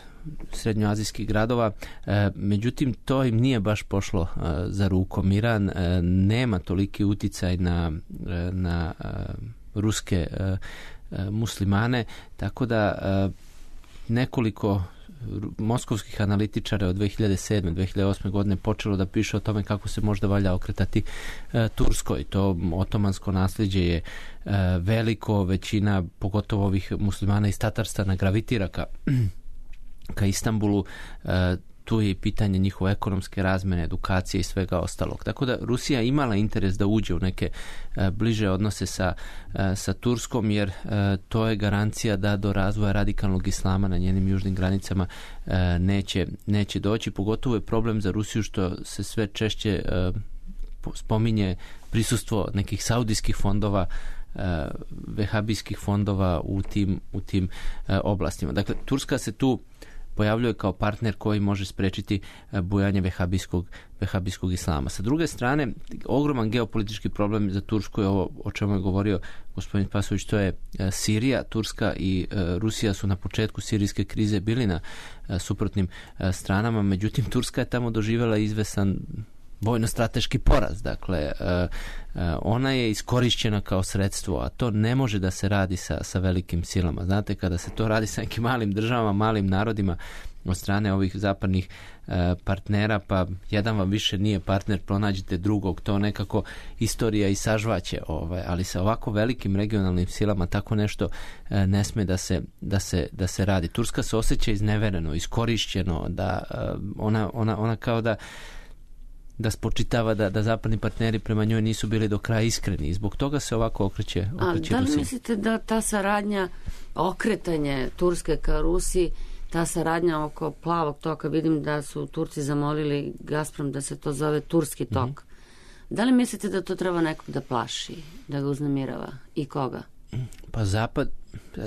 srednjoazijskih gradova. E, međutim, to im nije baš pošlo e, za rukom. Iran e, nema toliki uticaj na, e, na e, ruske e, e, muslimane, tako da e, nekoliko moskovskih analitičara od dve hiljade sedme. dve hiljade osme. godine počelo da piše o tome kako se možda valja okretati e, Turskoj. To otomansko nasljeđe je e, veliko, većina pogotovo ovih muslimana iz Tatarstana gravitira ka ka Istanbulu, e, tu je i pitanje njihove ekonomske razmene, edukacije i svega ostalog. Tako da Rusija imala interes da uđe u neke e, bliže odnose sa, e, sa Turskom, jer e, to je garancija da do razvoja radikalnog islama na njenim južnim granicama e, neće, neće doći. Pogotovo je problem za Rusiju što se sve češće e, spominje prisustvo nekih saudijskih fondova, e, vehabijskih fondova u tim, u tim e, oblastima. Dakle, Turska se tu pojavljuje kao partner koji može sprečiti bujanje vehabijskog, vehabijskog islama. Sa druge strane, ogroman geopolitički problem za Tursku je ovo o čemu je govorio gospodin Spasojević, to je Sirija. Turska i Rusija su na početku sirijske krize bili na suprotnim stranama, međutim Turska je tamo doživjela izvesan vojno-strateški poraz. Dakle, ona je iskorišćena kao sredstvo, a to ne može da se radi sa, sa velikim silama. Znate, kada se to radi sa nekim malim državama, malim narodima od strane ovih zapadnih partnera, pa jedan vam više nije partner, pronađite drugog, to nekako istorija i sažvaće, ovaj, ali sa ovako velikim regionalnim silama tako nešto ne sme da se, da se, da se radi. Turska se osjeća iznevereno, iskorišćeno, da ona, ona, ona kao da da spočitava da, da zapadni partneri prema njoj nisu bili do kraja iskreni i zbog toga se ovako okreće, okreće A da li Rusiji. mislite da ta saradnja, okretanje Turske ka Rusiji, ta saradnja oko plavog toka, vidim da su Turci zamolili Gazprom da se to zove Turski tok. Mm-hmm. Da li mislite da to treba nekog da plaši, da ga uznemirava i koga? Pa zapad,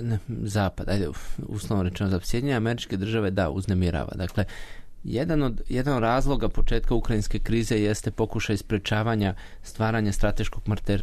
ne, zapad, ajde, uslovno rečeno, za Sjedinjene Američke Države da, uznemirava. Dakle, Jedan od, jedan od razloga početka ukrajinske krize jeste pokušaj sprečavanja stvaranja strateškog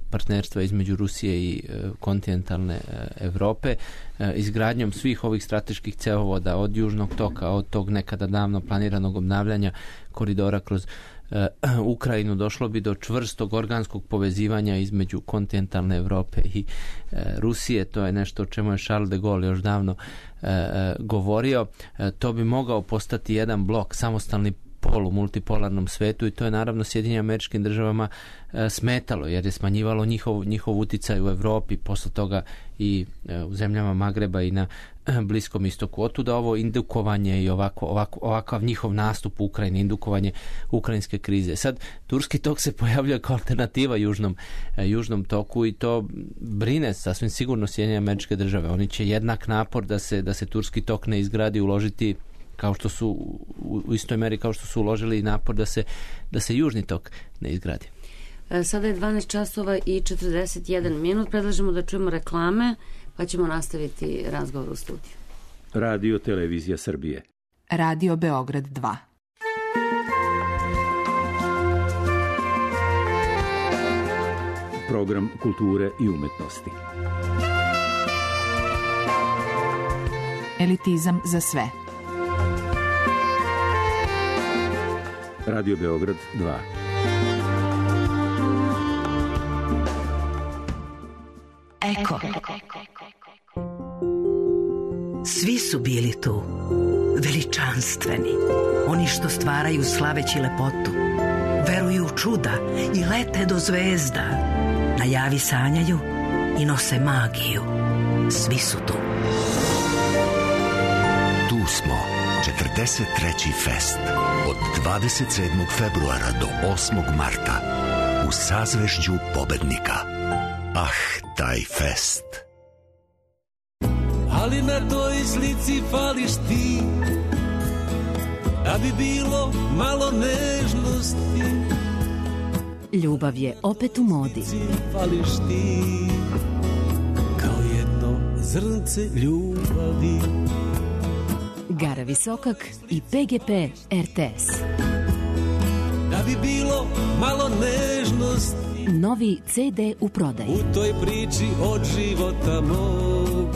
partnerstva između Rusije i e, kontinentalne e, Evrope, e, izgradnjom svih ovih strateških cevovoda od Južnog toka, od tog nekada davno planiranog obnavljanja koridora kroz e, Ukrajinu, došlo bi do čvrstog organskog povezivanja između kontinentalne Evrope i e, Rusije. To je nešto o čemu je Charles de Gaulle još davno E, govorio. E, to bi mogao postati jedan blok, samostalni pol u multipolarnom svetu i to je naravno Sjedinjenim Američkim Državama e, smetalo jer je smanjivalo njihov, njihov uticaj u Evropi, posle toga i e, u zemljama Magreba i na e, Bliskom istoku. Otuda ovo indukovanje i ovako, ovako, ovakav njihov nastup u Ukrajini, indukovanje ukrajinske krize. Sad, Turski tok se pojavljuje kao alternativa južnom, e, južnom toku i to brine sasvim sigurno Sjedinjene Američke Države. Oni će jednak napor da se, da se Turski tok ne izgradi uložiti kao što su u istoj meri kao što su uložili napor da se, da se južni tok ne izgradi. Sada je dvanaest časova i četrdeset jedan minut. Predlažemo da čujemo reklame, pa ćemo nastaviti razgovor u studiju. Radio Televizija Srbije. Radio Beograd dva. Program kulture i umetnosti. Elitizam za sve. Radio Beograd dva. Eko. Svi su bili tu, veličanstveni, oni što stvaraju slaveći lepotu, veruju u čuda i lete do zvezda, na javi sanjaju i nose magiju. Svi su tu. Tu smo, četrdeset treći fest, od dvadeset sedmog februara do osmog marta, u sazvežđu pobednika. Ah, taj fest. Ali na toj slici fališ ti, da bi bilo malo nežnosti. Ljubav je opet u modi. Fališ ti, kao jedno zrnce ljubavi. Gara Visokak i P G P R T S. Da bi bilo malo nežnosti. Novi C D u prodaji. U toj priči od života mog.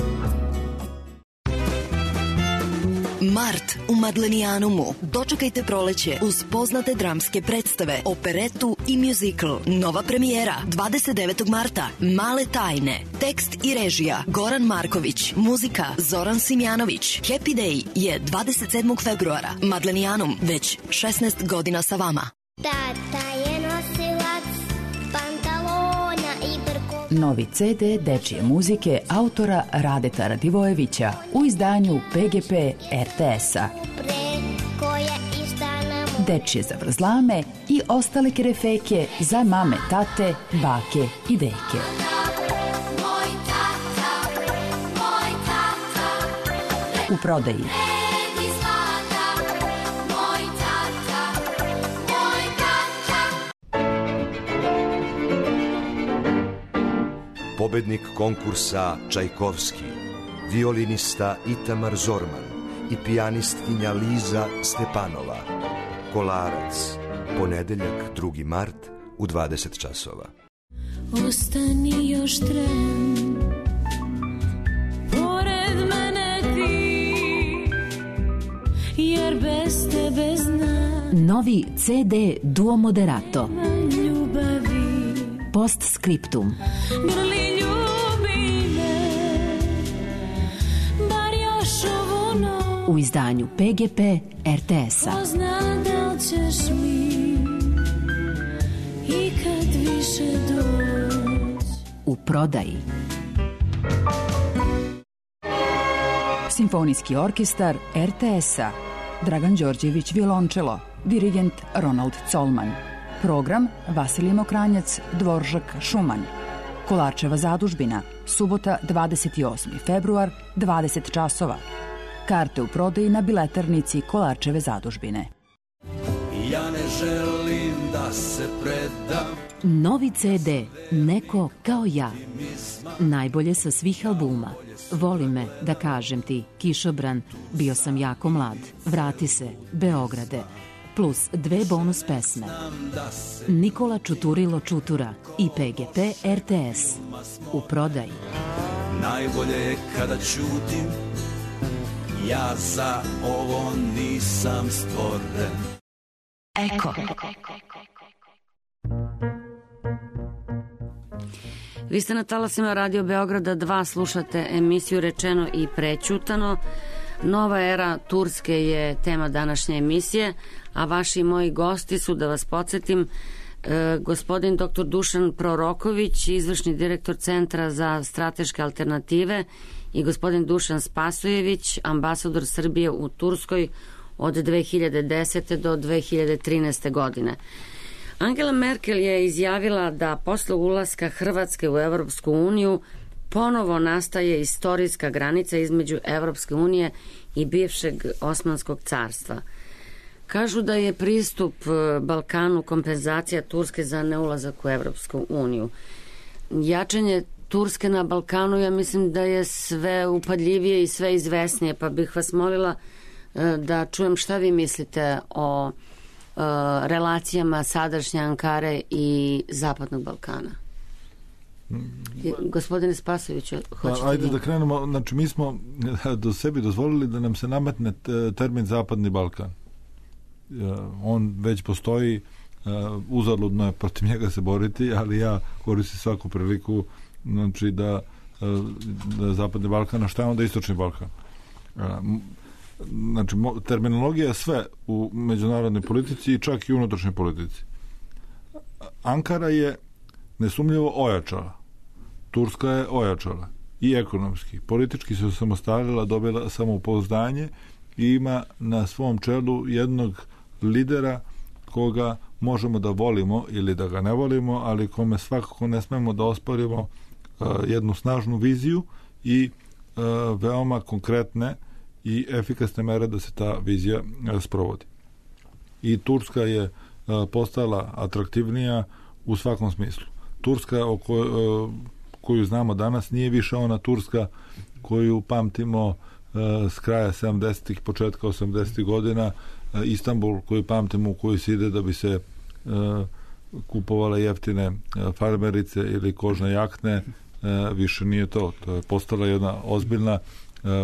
Mart u Madlenijanumu. Dočekajte proleće uz poznate dramske predstave, operetu i muzikl. Nova premijera dvadeset devetog marta. Male tajne. Tekst i režija Goran Marković. Muzika Zoran Simjanović. Happy Day je dvadeset sedmog februara. Madlenijanum, već šesnaest godina sa vama. Tata je nosilac pantalona i brkova. Novi C D dečije muzike autora Radeta Radivojevića u izdanju P G P R T S-a. Dečije zavrzlame i ostale kerefeke za mame, tate, bake i deke. U prodaji. Pobednik konkursa Čajkovski, violinista Itamar Zorman, i pijanistkinja Liza Stepanova. Kolarac, ponedeljak drugi mart u dvadeset časova. Ostani još tren, pored mene ti, jer bez tebe znam. Novi ce de Duo Moderato. Ljubavi. Postscriptum. Grli ljubi me, bar još ovu noć. U izdanju pe ge pe er te es-a. Ko zna da li ćeš mi i kad više doć. U prodaji. Simfonijski orkestar er te es-a. Dragan Đorđević violončelo, dirigent Ronald Colman. Program Vasilij Mokranjac, Dvoržak Šuman. Kolarčeva zadužbina, subota dvadeset osmi februar, dvadeset časova. Karte u prodaji na biletarnici Kolarčeve zadužbine. Ja ne želim da se predam. Novi ce de Neko kao ja. Najbolje sa svih albuma. Voli me, da kažem ti, Kišobran, Bio sam jako mlad, Vrati se, Beograde, plus dve bonus pesme. Nikola Čuturilo Čutura i pe ge pe er te es. U prodaji. Najbolje je kada ćutim, ja za ovo nisam stvoren. Eko. Vi ste na talasima Radio Beograda dva, slušate emisiju Rečeno i prećutano. Nova era Turske je tema današnje emisije, a vaši i moji gosti su, da vas podsjetim, e, gospodin doktor Dušan Proroković, izvršni direktor Centra za strateške alternative, i gospodin Dušan Spasojević, ambasador Srbije u Turskoj od dve hiljade desete do dve hiljade trinaeste godine. Angela Merkel je izjavila da posle ulaska Hrvatske u Evropsku uniju ponovo nastaje istorijska granica između Evropske unije i bivšeg Osmanskog carstva. Kažu da je pristup Balkanu kompenzacija Turske za neulazak u Evropsku uniju. Jačanje Turske na Balkanu, ja mislim da je sve upadljivije i sve izvesnije, pa bih vas molila da čujem šta vi mislite o relacijama sadašnje Ankare i Zapadnog Balkana. Gospodine Spasoviću, hoćete Ajde vi? da krenemo, znači mi smo do sebi dozvolili da nam se nametne termin Zapadni Balkan. On već postoji, uzaludno je protiv njega se boriti, ali ja koristim svaku priliku, znači da, da Zapadni Balkan, a šta je onda Istočni Balkan? Znači, terminologija je sve u međunarodnoj politici i čak i unutrašnjoj politici. Ankara je nesumljivo ojačala. Turska je ojačala. I ekonomski. Politički se osamostalila, dobila samopouzdanje i ima na svom čelu jednog lidera koga možemo da volimo ili da ga ne volimo, ali kome svakako ne smemo da osporimo uh, jednu snažnu viziju i uh, veoma konkretne i efikasne mere da se ta vizija sprovodi. I Turska je postala atraktivnija u svakom smislu. Turska o kojoj, koju znamo danas nije više ona Turska koju pamtimo s kraja sedamdesetih, početka osamdesetih godina, Istanbul koju pamtimo, u koju se ide da bi se kupovale jeftine farmerice ili kožne jakne, više nije to. To je postala jedna ozbiljna,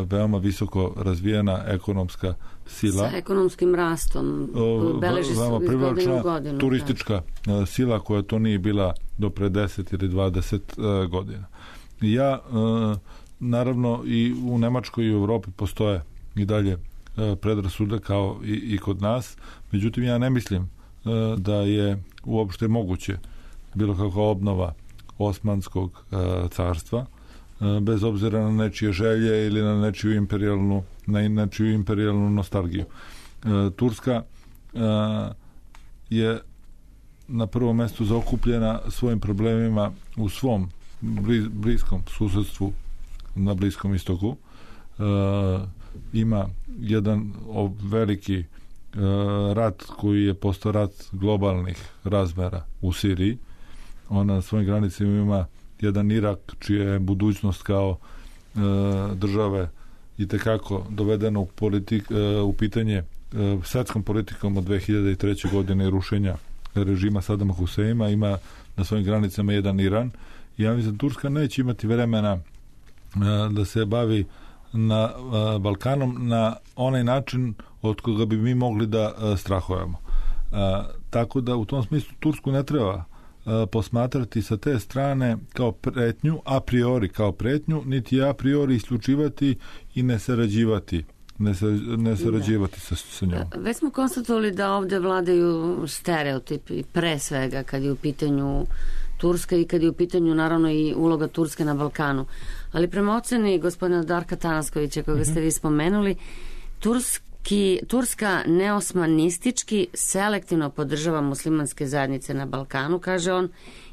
veoma visoko razvijena ekonomska sila. Sa ekonomskim rastom beleži se iz godine u godinu. Turistička da. sila koja to nije bila do pre deset ili dvadeset godina. Ja, naravno, i u Nemačkoj i u Evropi postoje i dalje predrasude kao i, i kod nas. Međutim, ja ne mislim da je uopšte moguće bilo kakva obnova Osmanskog carstva, bez obzira na nečije želje ili na nečiju imperijalnu, na nečiju imperijalnu nostalgiju. Turska je na prvom mestu zaokupljena svojim problemima u svom bliskom susedstvu na Bliskom istoku. Ima jedan veliki rat koji je postao rat globalnih razmera u Siriji. Ona na svojim granicama ima jedan Irak čija je budućnost kao e, države i tekako dovedeno u, politik, u pitanje svetskom politikom od dve hiljade treće. godine rušenja režima Sadama Huseina, ima na svojim granicama jedan Iran. I ja mislim, Turska neće imati vremena da se bavi na Balkanom na onaj način od koga bi mi mogli da strahujemo. Tako da u tom smislu Tursku ne treba posmatrati sa te strane kao pretnju, a priori kao pretnju, niti a priori isključivati i ne sarađivati ne, sa, ne sarađivati sa, sa njom. Već smo konstatovali da ovde vladaju stereotipi, pre svega kad je u pitanju Turska i kad je u pitanju naravno i uloga Turske na Balkanu. Ali prema oceni gospodina Darka Tanaskovića, koga mm-hmm. ste vi spomenuli, Turski, Turska neosmanistički selektivno podržava muslimanske zajednice na Balkanu, kaže on,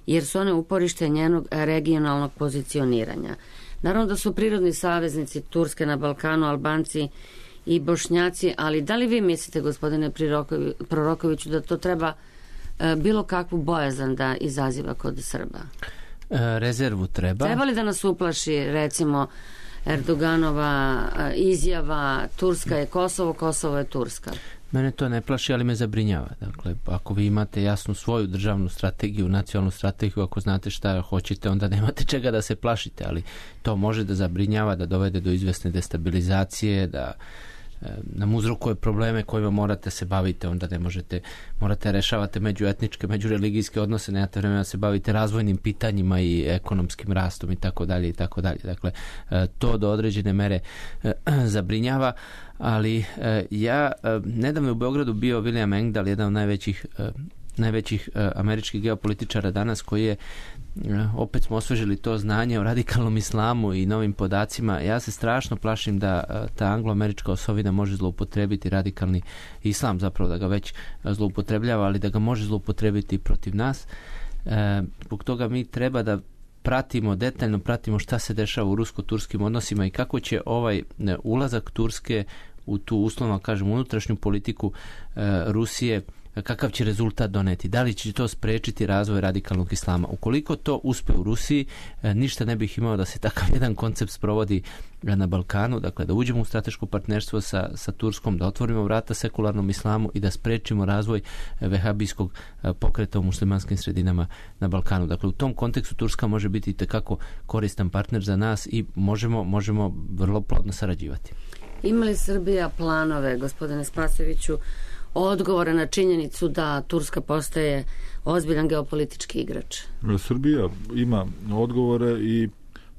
jer su one uporište njenog regionalnog pozicioniranja. Naravno da su prirodni saveznici Turske na Balkanu, Albanci i Bošnjaci, ali da li vi mislite, gospodine Prorokoviću, da to treba bilo kakvu bojazan da izaziva kod Srba? Rezervu treba. Treba li da nas uplaši, recimo, Erdoganova izjava Turska je Kosovo, Kosovo je Turska? Mene to ne plaši, ali me zabrinjava. Dakle, ako vi imate jasnu svoju državnu strategiju, nacionalnu strategiju, ako znate šta hoćete, onda nemate čega da se plašite, ali to može da zabrinjava, da dovede do izvesne destabilizacije, da nam uzrokuje probleme kojima morate se baviti, onda ne možete, morate rešavate međuetničke, međureligijske odnose, nemate vremena da se bavite razvojnim pitanjima i ekonomskim rastom i tako dalje i tako dalje. Dakle, to do određene mere zabrinjava, ali ja nedavno u Beogradu bio William Engdahl, jedan od najvećih najvećih američkih geopolitičara danas, koji je, opet smo osvežili to znanje o radikalnom islamu i novim podacima. Ja se strašno plašim da ta angloamerička osovina može zloupotrebiti radikalni islam, zapravo da ga već zloupotrebljava, ali da ga može zloupotrebiti protiv nas. Zbog toga mi treba da pratimo, detaljno pratimo šta se dešava u rusko-turskim odnosima i kako će ovaj ulazak Turske u tu, uslovno kažem, unutrašnju politiku Rusije, kakav će rezultat doneti, da li će to sprečiti razvoj radikalnog islama. Ukoliko to uspe u Rusiji, ništa ne bih imao da se takav jedan koncept sprovodi na Balkanu, dakle da uđemo u strateško partnerstvo sa, sa Turskom, da otvorimo vrata sekularnom islamu i da sprečimo razvoj vehabijskog pokreta u muslimanskim sredinama na Balkanu. Dakle, u tom kontekstu Turska može biti itekako koristan partner za nas i možemo, možemo vrlo plodno sarađivati. Ima li Srbija planove, gospodine Spasojeviću, odgovore na činjenicu da Turska postaje ozbiljan geopolitički igrač? Srbija ima odgovore i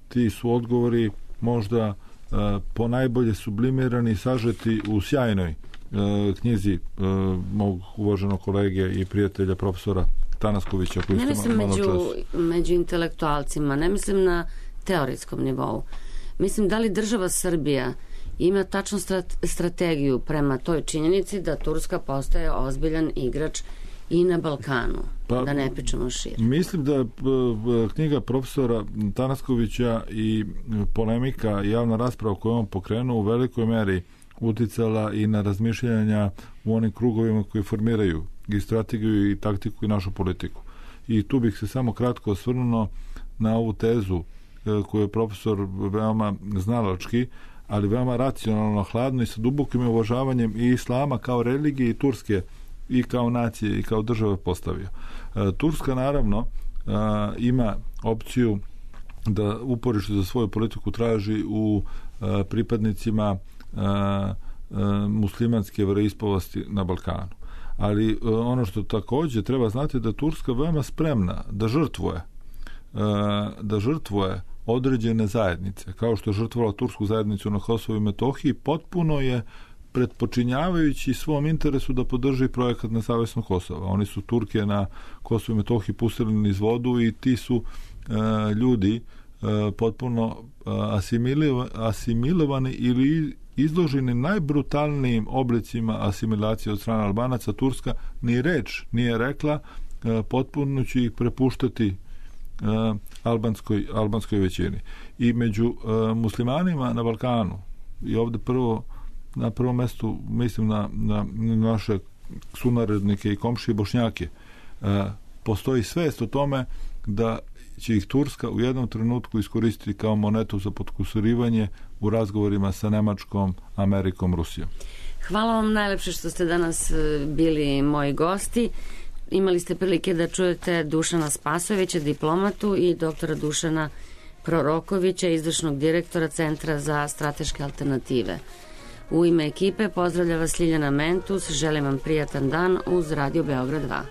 ti su odgovori možda uh, po najbolje sublimirani i sažeti u sjajnoj uh, knjizi uh, mog uvaženog kolege i prijatelja profesora Tanaskovića. Koji ne mislim među, među intelektualcima, ne mislim na teoretskom nivou. Mislim, da li država Srbija ima tačnu strategiju prema toj činjenici da Turska postaje ozbiljan igrač i na Balkanu, pa, da ne pričamo šire. Mislim da knjiga profesora Tanaskovića i polemika i javna rasprava koju on pokrenuo u velikoj meri uticala i na razmišljanja u onim krugovima koji formiraju i strategiju i taktiku i našu politiku. I tu bih se samo kratko osvrnuo na ovu tezu koju je profesor veoma znalački, ali veoma racionalno, hladno i sa dubokim uvažavanjem i islama kao religije i Turske i kao nacije i kao države postavio. E, Turska naravno e, ima opciju da uporište za svoju politiku traži u e, pripadnicima e, e, muslimanske veroispovesti na Balkanu. Ali e, ono što također treba znati da Turska veoma spremna da žrtvuje e, da žrtvuje određene zajednice, kao što je žrtvovala tursku zajednicu na Kosovu i Metohiji, potpuno je pretpočinjavajući svom interesu da podrži projekat nezavisno Kosova. Oni su Turke na Kosovu i Metohiji pustili niz vodu i ti su e, ljudi e, potpuno asimilova, asimilovani ili izloženi najbrutalnijim oblicima asimilacije od strane Albanaca. Turska ni reč nije rekla, e, potpuno će ih prepuštati Uh, albanskoj, albanskoj većini. I među uh, muslimanima na Balkanu, i ovdje prvo na prvom mjestu mislim na, na, na naše sunarodnike i komšije Bošnjake, uh, postoji svest o tome da će ih Turska u jednom trenutku iskoristiti kao monetu za potkusurivanje u razgovorima sa Nemačkom, Amerikom, Rusijom. Hvala vam najlepše što ste danas bili moji gosti. Imali ste prilike da čujete Dušana Spasojevića, diplomatu, i doktora Dušana Prorokovića, izvršnog direktora Centra za strateške alternative. U ime ekipe pozdravlja vas Ljiljana Mentus, želim vam prijatan dan uz Radio Beograd dva.